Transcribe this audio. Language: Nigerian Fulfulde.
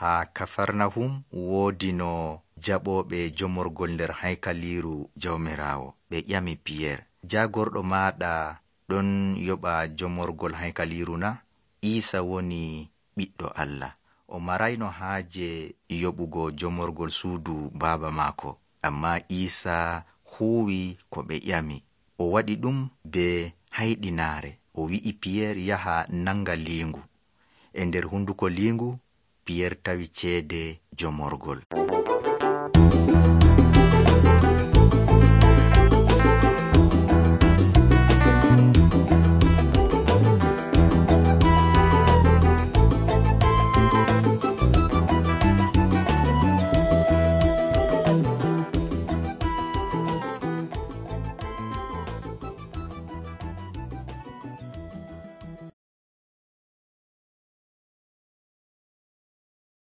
Ha Kafarnahum woodi no jaɓoɓe jomorgol nder haykaliiru Jawmiraawo. Ɓe ƴami Piyeer, jaagorɗo maaɗa ɗon yoɓa jomorgol haykaliiru na? Iisa woni ɓiɗɗo Allah. O marayno haaje yoɓugo jomorgol suudu baaba maako. Ammaa Iisa huuwi ko ɓe ƴami. O waɗi ɗum be hayɗinaare. O wi'i Piyeer yaha nanga liingu. E nder hunduko liingu Piyeer tawi ceede jomorgol.